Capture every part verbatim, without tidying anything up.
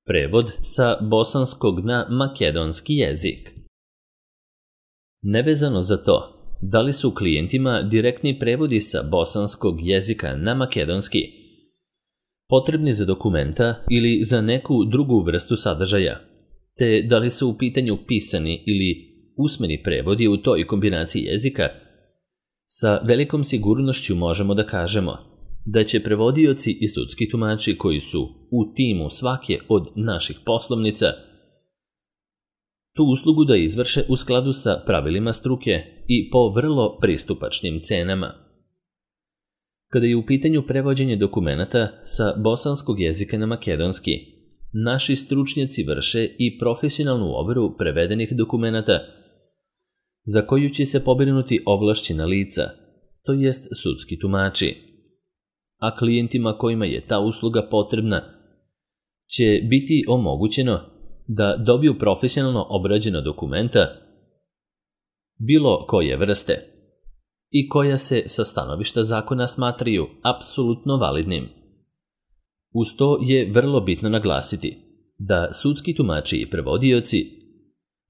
Prevod sa bosanskog na makedonski jezik. Nevezano za to, da li su klijentima direktni prevodi sa bosanskog jezika na makedonski potrebni za dokumenta ili za neku drugu vrstu sadržaja, te da li su u pitanju pisani ili usmeni prevodi u toj kombinaciji jezika, sa velikom sigurnošću možemo da kažemo da će prevodioci i sudski tumači koji su u timu svake od naših poslovnica tu uslugu da izvrše u skladu sa pravilima struke i po vrlo pristupačnim cenama. Kada je u pitanju prevođenje dokumenata sa bosanskog jezika na makedonski, naši stručnjaci vrše i profesionalnu overu prevedenih dokumenata za koju će se pobrinuti ovlašćena lica, to jest sudski tumači. A klijentima kojima je ta usluga potrebna će biti omogućeno da dobiju profesionalno obrađena dokumenta bilo koje vrste i koja se sa stanovišta zakona smatraju apsolutno validnim. Uz to je vrlo bitno naglasiti da sudski tumači i prevodioci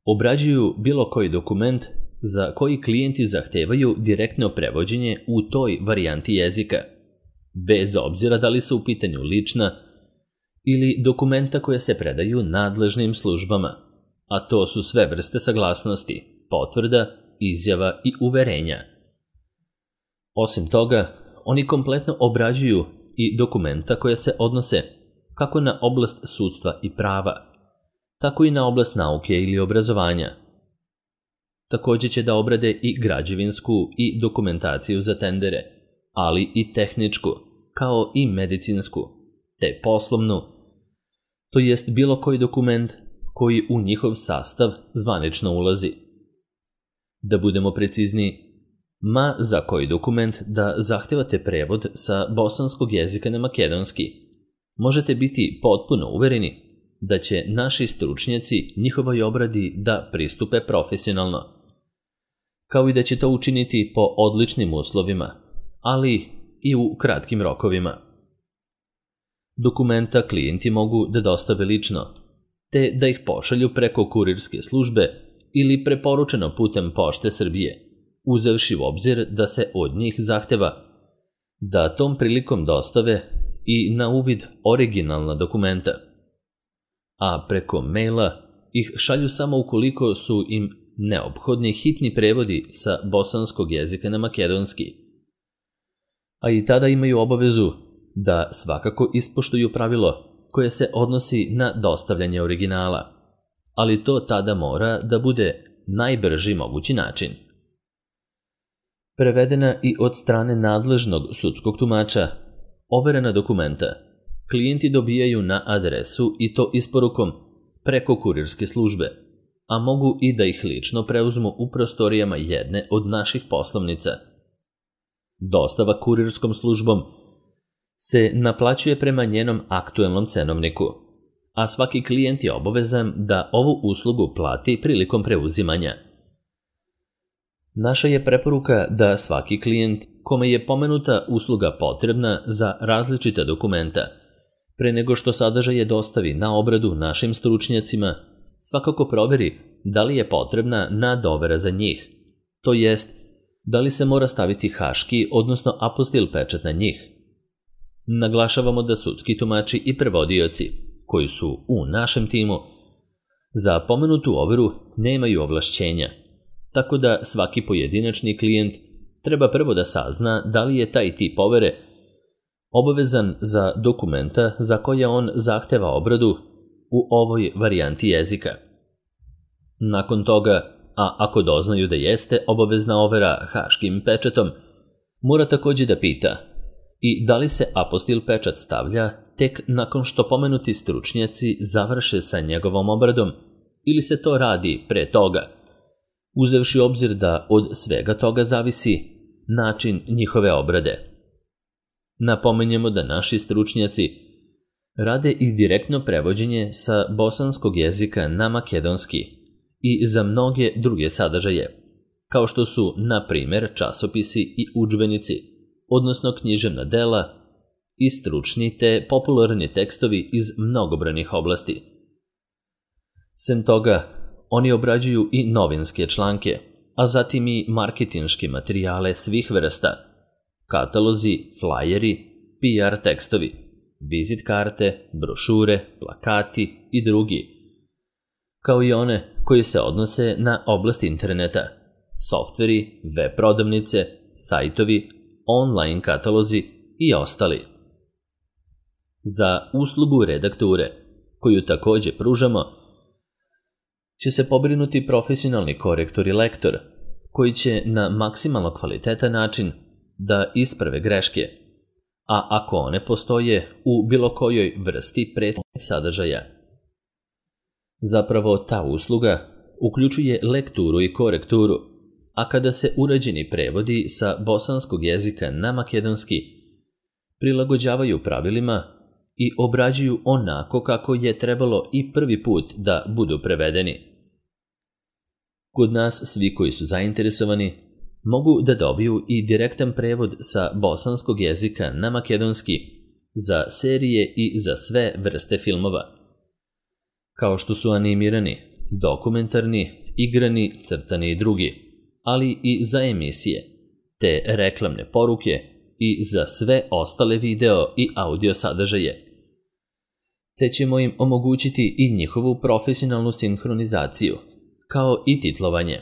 obrađuju bilo koji dokument za koji klijenti zahtevaju direktno prevođenje u toj varijanti jezika, bez obzira da li su u pitanju lična ili dokumenta koje se predaju nadležnim službama, a to su sve vrste saglasnosti, potvrda, izjava i uverenja. Osim toga, oni kompletno obrađuju i dokumenta koje se odnose kako na oblast sudstva i prava, tako i na oblast nauke ili obrazovanja. Također će da obrade i građevinsku i dokumentaciju za tendere, ali i tehničku, kao i medicinsku, te poslovnu, to jest bilo koji dokument koji u njihov sastav zvanično ulazi. Da budemo precizni, ma za koji dokument da zahtevate prevod sa bosanskog jezika na makedonski, možete biti potpuno uvereni da će naši stručnjaci njihovoj obradi da pristupe profesionalno, kao i da će to učiniti po odličnim uslovima, ali i u kratkim rokovima. Dokumenta klijenti mogu da dostave lično, te da ih pošalju preko kurirske službe ili preporučeno putem Pošte Srbije, uzevši u obzir da se od njih zahteva da tom prilikom dostave i na uvid originalna dokumenta, a preko maila ih šalju samo ukoliko su im neophodni hitni prevodi sa bosanskog jezika na makedonski. A i tada imaju obavezu da svakako ispoštuju pravilo koje se odnosi na dostavljanje originala, ali to tada mora da bude najbrži mogući način. Prevedena i od strane nadležnog sudskog tumača, overena dokumenta klijenti dobijaju na adresu i to isporukom preko kurirske službe, a mogu i da ih lično preuzmu u prostorijama jedne od naših poslovnica. Dostava kurirskom službom se naplaćuje prema njenom aktuelnom cenovniku, a svaki klijent je obavezan da ovu uslugu plati prilikom preuzimanja. Naša je preporuka da svaki klijent kome je pomenuta usluga potrebna za različita dokumenta, pre nego što sadržaje dostavi na obradu našim stručnjacima, svakako proveri da li je potrebna nadovera za njih, to jest da li se mora staviti haški, odnosno apostil pečat na njih. Naglašavamo da sudski tumači i prevodioci, koji su u našem timu, za pomenutu overu nemaju ovlašćenja, tako da svaki pojedinačni klijent treba prvo da sazna da li je taj tip overe obavezan za dokumenta za koje on zahteva obradu u ovoj varijanti jezika. Nakon toga, a ako doznaju da jeste obavezna overa haškim pečatom, mora također da pita i da li se apostil pečat stavlja tek nakon što pomenuti stručnjaci završe sa njegovom obradom ili se to radi pre toga, uzevši obzir da od svega toga zavisi način njihove obrade. Napomenjemo da naši stručnjaci rade i direktno prevođenje sa bosanskog jezika na makedonski i za mnoge druge sadržaje, kao što su, na primjer, časopisi i udžbenici, odnosno književna dela i stručni te popularni tekstovi iz mnogobrojnih oblasti. Sem toga, oni obrađuju i novinske članke, a zatim i marketinške materijale svih vrsta, katalozi, flajeri, P R tekstovi, vizit karte, brošure, plakati i drugi, kao i one koji se odnose na oblast interneta, softveri, web prodavnice, sajtovi, online katalozi i ostali. Za uslugu redakture, koju takođe pružamo, će se pobrinuti profesionalni korektor i lektor, koji će na maksimalno kvalitetan način da isprave greške, a ako one postoje u bilo kojoj vrsti prethodnih sadržaja. Zapravo ta usluga uključuje lekturu i korekturu, a kada se urađeni prevodi sa bosanskog jezika na makedonski prilagođavaju pravilima i obrađuju onako kako je trebalo i prvi put da budu prevedeni. Kod nas svi koji su zainteresovani mogu da dobiju i direktan prevod sa bosanskog jezika na makedonski za serije i za sve vrste filmova, kao što su animirani, dokumentarni, igrani, crtani i drugi, ali i za emisije, te reklamne poruke i za sve ostale video i audio sadržaje, te ćemo im omogućiti i njihovu profesionalnu sinhronizaciju, kao i titlovanje.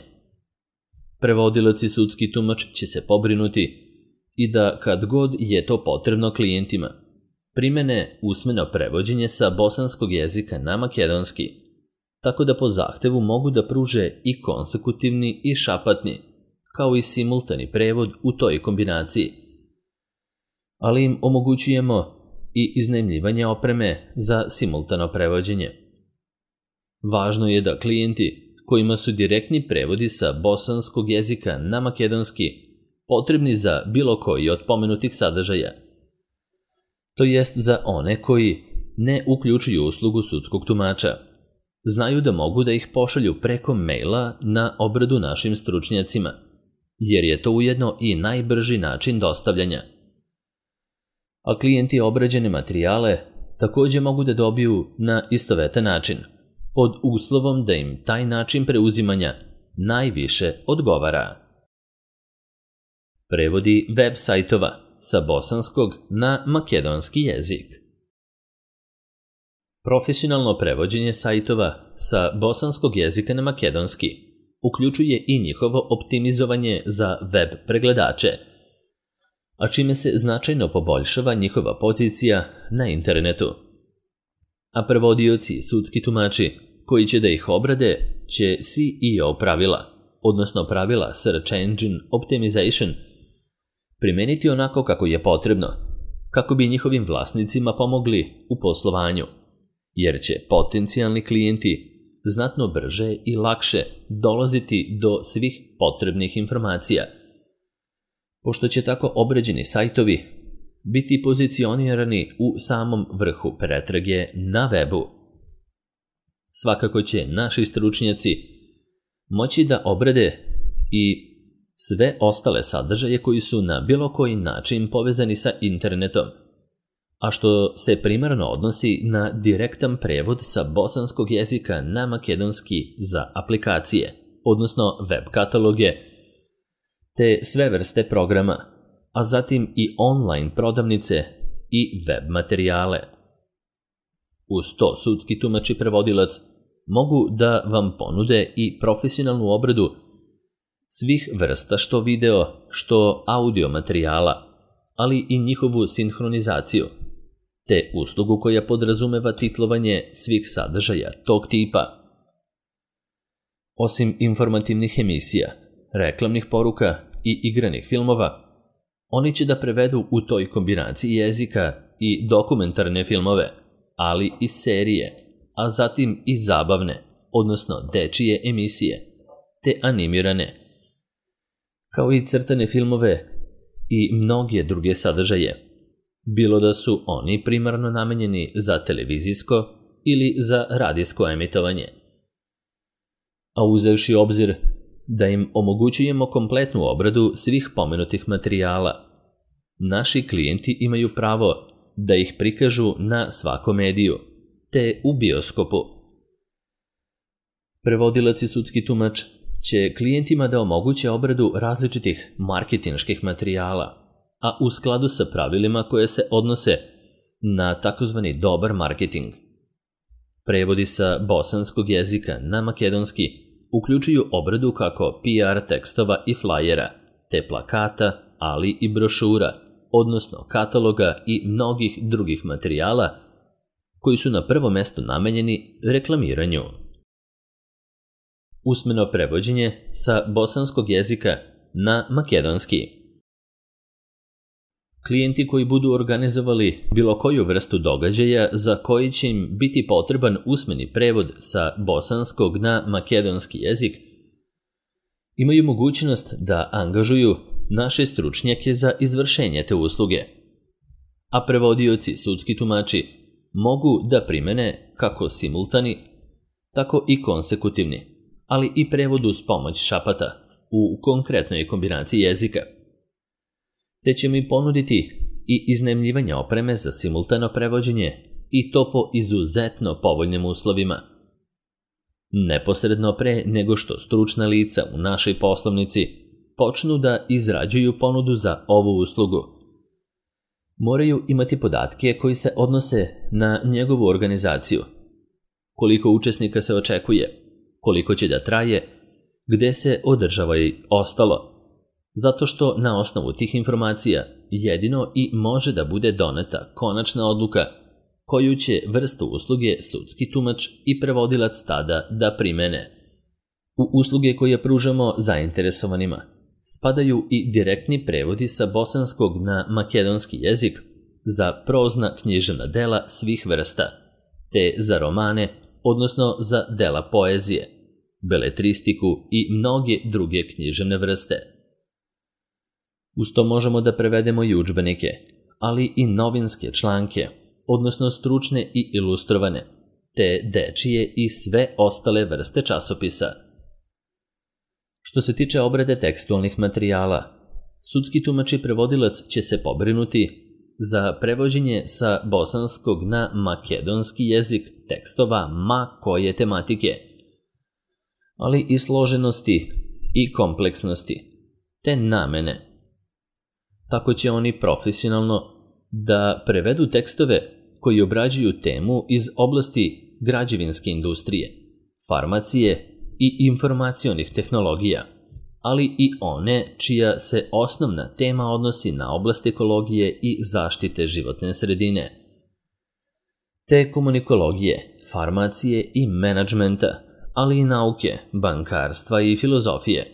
Prevodilac i sudski tumač će se pobrinuti i da kad god je to potrebno klijentima, primene usmeno prevođenje sa bosanskog jezika na makedonski, tako da po zahtevu mogu da pruže i konsekutivni i šapatni, kao i simultani prevod u toj kombinaciji. Ali im omogućujemo i iznajmljivanje opreme za simultano prevođenje. Važno je da klijenti kojima su direktni prevodi sa bosanskog jezika na makedonski potrebni za bilo koji od pomenutih sadržaja, to jest za one koji ne uključuju uslugu sudskog tumača, znaju da mogu da ih pošalju preko maila na obradu našim stručnjacima, jer je to ujedno i najbrži način dostavljanja. A klijenti obrađene materijale takođe mogu da dobiju na istovetan način, pod uslovom da im taj način preuzimanja najviše odgovara. Prevodi web sajtova sa bosanskog na makedonski jezik. Profesionalno prevođenje sajtova sa bosanskog jezika na makedonski uključuje i njihovo optimizovanje za web pregledače, a čime se značajno poboljšava njihova pozicija na internetu. A prevodioci i sudski tumači koji će da ih obrade će S E O pravila, odnosno pravila Search Engine Optimization, primeniti onako kako je potrebno, kako bi njihovim vlasnicima pomogli u poslovanju, jer će potencijalni klijenti znatno brže i lakše dolaziti do svih potrebnih informacija, pošto će tako obrađeni sajtovi biti pozicionirani u samom vrhu pretrage na webu. Svakako će naši stručnjaci moći da obrade i sve ostale sadržaje koji su na bilo koji način povezani sa internetom, a što se primarno odnosi na direktan prevod sa bosanskog jezika na makedonski za aplikacije, odnosno web kataloge, te sve vrste programa, a zatim i online prodavnice i web materijale. Uz to sudski tumač i prevodilac mogu da vam ponude i profesionalnu obradu svih vrsta što video, što audio materijala, ali i njihovu sinhronizaciju, te uslugu koja podrazumeva titlovanje svih sadržaja tog tipa. Osim informativnih emisija, reklamnih poruka i igranih filmova, oni će da prevedu u toj kombinaciji jezika i dokumentarne filmove, ali i serije, a zatim i zabavne, odnosno dečije emisije, te animirane, kao i crtane filmove i mnoge druge sadržaje, bilo da su oni primarno namenjeni za televizijsko ili za radijsko emitovanje. A uzevši obzir da im omogućujemo kompletnu obradu svih pomenutih materijala, naši klijenti imaju pravo da ih prikažu na svakom mediju, te u bioskopu. Prevodilac i sudski tumač će klijentima da omoguće obradu različitih marketinških materijala, a u skladu sa pravilima koje se odnose na takozvani dobar marketing. Prevodi sa bosanskog jezika na makedonski uključuju obradu kako P R tekstova i flajera, te plakata, ali i brošura, odnosno kataloga i mnogih drugih materijala koji su na prvo mesto namenjeni reklamiranju. Usmeno prevođenje sa bosanskog jezika na makedonski. Klijenti koji budu organizovali bilo koju vrstu događaja za koji će im biti potreban usmeni prevod sa bosanskog na makedonski jezik, imaju mogućnost da angažuju naše stručnjake za izvršenje te usluge, a prevodioci, sudski tumači, mogu da primene kako simultani, tako i konsekutivni, ali i prevod uz pomoć šapata u konkretnoj kombinaciji jezika. Te će mi ponuditi i iznajmljivanje opreme za simultano prevođenje i to po izuzetno povoljnim uslovima. Neposredno pre nego što stručna lica u našoj poslovnici počnu da izrađuju ponudu za ovu uslugu, moraju imati podatke koji se odnose na njegovu organizaciju. Koliko učesnika se očekuje, koliko će da traje, gde se održava i ostalo, zato što na osnovu tih informacija jedino i može da bude doneta konačna odluka koju će vrstu usluge sudski tumač i prevodilac tada da primene. U usluge koje pružamo zainteresovanima spadaju i direktni prevodi sa bosanskog na makedonski jezik za prozna književna dela svih vrsta, te za romane, odnosno za dela poezije, beletristiku i mnoge druge književne vrste. Uz to možemo da prevedemo i udžbenike, ali i novinske članke, odnosno stručne i ilustrovane, te dečije i sve ostale vrste časopisa. Što se tiče obrade tekstualnih materijala, sudski tumač i prevodilac će se pobrinuti za prevođenje sa bosanskog na makedonski jezik tekstova ma koje tematike, ali i složenosti i kompleksnosti, te namene. Tako će oni profesionalno da prevedu tekstove koji obrađuju temu iz oblasti građevinske industrije, farmacije i informacionih tehnologija, ali i one čija se osnovna tema odnosi na oblast ekologije i zaštite životne sredine, te komunikologije, farmacije i menadžmenta, ali i nauke, bankarstva i filozofije.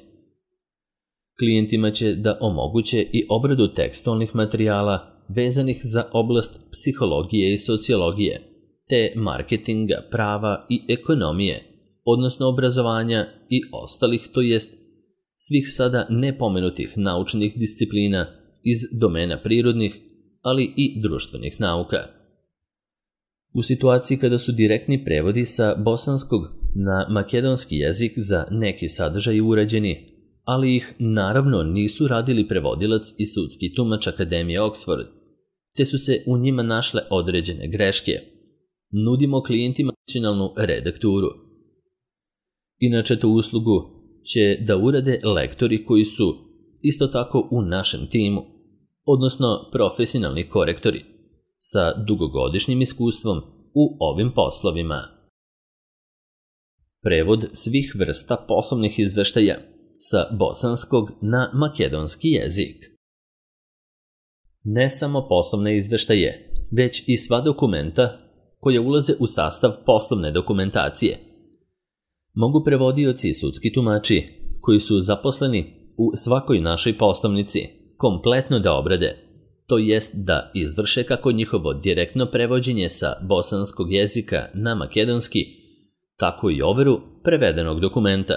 Klijentima će da omoguće i obradu tekstualnih materijala vezanih za oblast psihologije i sociologije, te marketinga, prava i ekonomije, odnosno obrazovanja i ostalih, to jest svih sada nepomenutih naučnih disciplina iz domena prirodnih, ali i društvenih nauka. U situaciji kada su direktni prevodi sa bosanskog na makedonski jezik za neki sadržaj urađeni, ali ih naravno nisu radili prevodilac i sudski tumač Akademije Oxford, te su se u njima našle određene greške, nudimo klijentima nacionalnu redakturu. Inače, tu uslugu će da urade lektori koji su isto tako u našem timu, odnosno profesionalni korektori sa dugogodišnjim iskustvom u ovim poslovima. Prevod svih vrsta poslovnih izveštaja sa bosanskog na makedonski jezik. Ne samo poslovne izveštaje, već i sva dokumenta koje ulaze u sastav poslovne dokumentacije. Mogu prevodioci i sudski tumači, koji su zaposleni u svakoj našoj poslovnici, kompletno da obrade, to jest da izvrše kako njihovo direktno prevođenje sa bosanskog jezika na makedonski, tako i overu prevedenog dokumenta.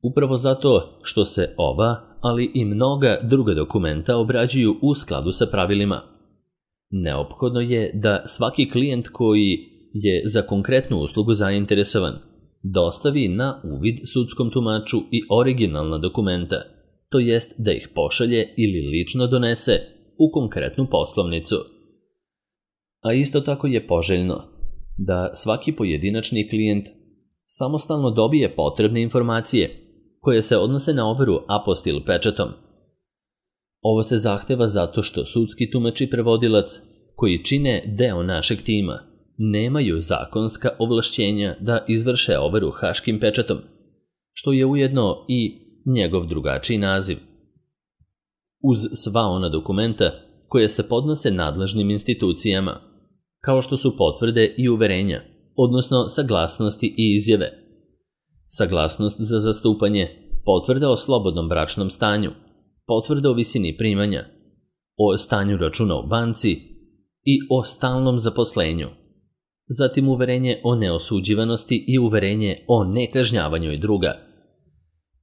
Upravo zato što se ova, ali i mnoga druga dokumenta obrađuju u skladu sa pravilima. Neophodno je da svaki klijent koji je za konkretnu uslugu zainteresovan dostavi na uvid sudskom tumaču i originalna dokumenta, to jest da ih pošalje ili lično donese u konkretnu poslovnicu. A isto tako je poželjno da svaki pojedinačni klijent samostalno dobije potrebne informacije koje se odnose na overu apostil pečatom. Ovo se zahteva zato što sudski tumač i prevodilac, koji čine deo našeg tima, nemaju zakonska ovlašćenja da izvrše overu haškim pečatom, što je ujedno i njegov drugačiji naziv. Uz sva ona dokumenta koje se podnose nadležnim institucijama, kao što su potvrde i uverenja, odnosno saglasnosti i izjave, saglasnost za zastupanje, potvrda o slobodnom bračnom stanju, potvrda o visini primanja, o stanju računa u banci i o stalnom zaposlenju, zatim uverenje o neosuđivanosti i uverenje o nekažnjavanju i druga.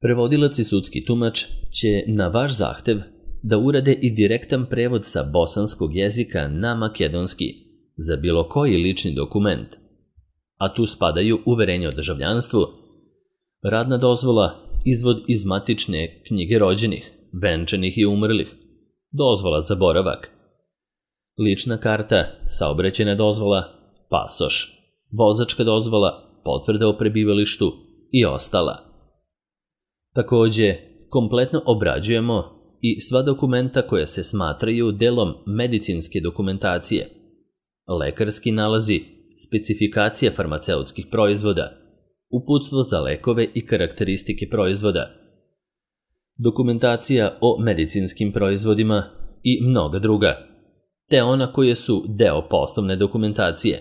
Prevodilac i sudski tumač će na vaš zahtev da urade i direktan prevod sa bosanskog jezika na makedonski za bilo koji lični dokument, a tu spadaju uverenje o državljanstvu, radna dozvola, izvod iz matične knjige rođenih, venčanih i umrlih, dozvola za boravak, lična karta, saobraćajna dozvola, pasoš, vozačka dozvola, potvrda o prebivalištu i ostala. Takođe, kompletno obrađujemo i sva dokumenta koja se smatraju delom medicinske dokumentacije, lekarski nalazi, specifikacija farmaceutskih proizvoda, uputstvo za lekove i karakteristike proizvoda, dokumentacija o medicinskim proizvodima i mnoga druga, te ona koje su deo poslovne dokumentacije,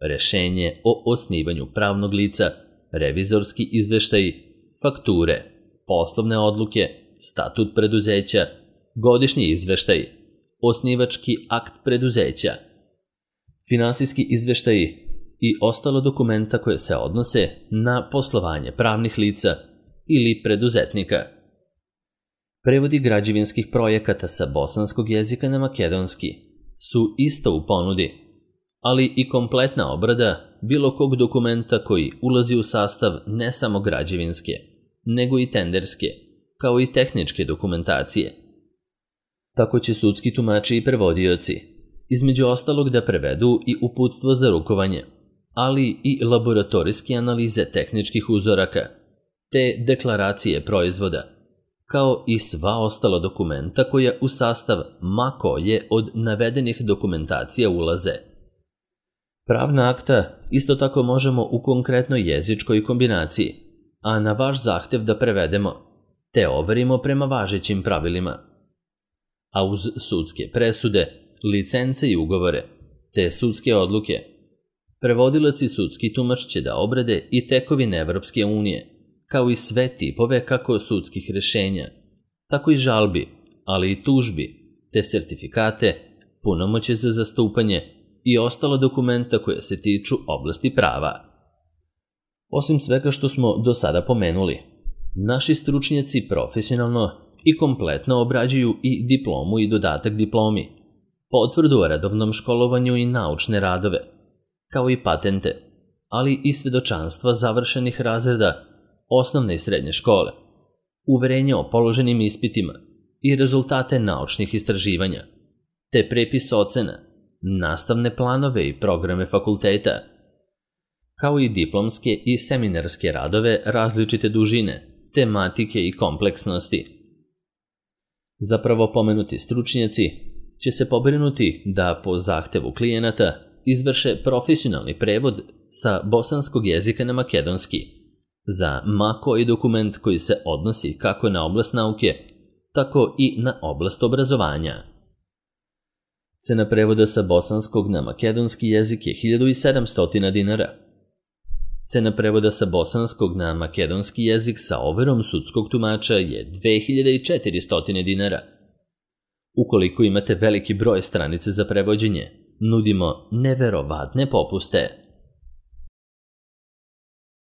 rešenje o osnivanju pravnog lica, revizorski izveštaji, fakture, poslovne odluke, statut preduzeća, godišnji izveštaj, osnivački akt preduzeća, finansijski izveštaji i ostalo dokumenta koje se odnose na poslovanje pravnih lica ili preduzetnika. Prevodi građevinskih projekata sa bosanskog jezika na makedonski su isto u ponudi, ali i kompletna obrada bilo kog dokumenta koji ulazi u sastav ne samo građevinske, nego i tenderske, kao i tehničke dokumentacije. Tako će sudski tumači i prevodioci, između ostalog, da prevedu i uputstvo za rukovanje, ali i laboratorijske analize tehničkih uzoraka, te deklaracije proizvoda, kao i sva ostala dokumenta koja u sastav ma koje od navedenih dokumentacija ulaze. Pravna akta isto tako možemo u konkretnoj jezičkoj kombinaciji, a na vaš zahtev da prevedemo, te overimo prema važećim pravilima. A uz sudske presude, licence i ugovore, te sudske odluke, prevodilac i sudski tumač će da obrade i tekovine Evropske unije, kao i sve tipove kako sudskih rešenja, tako i žalbi, ali i tužbi, te sertifikate, punomoćje za zastupanje i ostala dokumenta koja se tiču oblasti prava. Osim svega što smo do sada pomenuli, naši stručnjaci profesionalno i kompletno obrađuju i diplomu i dodatak diplomi, potvrdu o redovnom školovanju i naučne radove, kao i patente, ali i svedočanstva završenih razreda osnovne i srednje škole, uverenje o položenim ispitima i rezultate naučnih istraživanja, te prepis ocena, nastavne planove i programe fakulteta, kao i diplomske i seminarske radove različite dužine, tematike i kompleksnosti. Zapravo pomenuti stručnjaci će se pobrinuti da po zahtevu klijenata izvrše profesionalni prevod sa bosanskog jezika na makedonski za ma koji dokument koji se odnosi kako na oblast nauke, tako i na oblast obrazovanja. Cena prevoda sa bosanskog na makedonski jezik je hiljadu sedamsto dinara. Cena prevoda sa bosanskog na makedonski jezik sa overom sudskog tumača je dve hiljade četiristo dinara. Ukoliko imate veliki broj stranice za prevođenje, nudimo neverovatne popuste.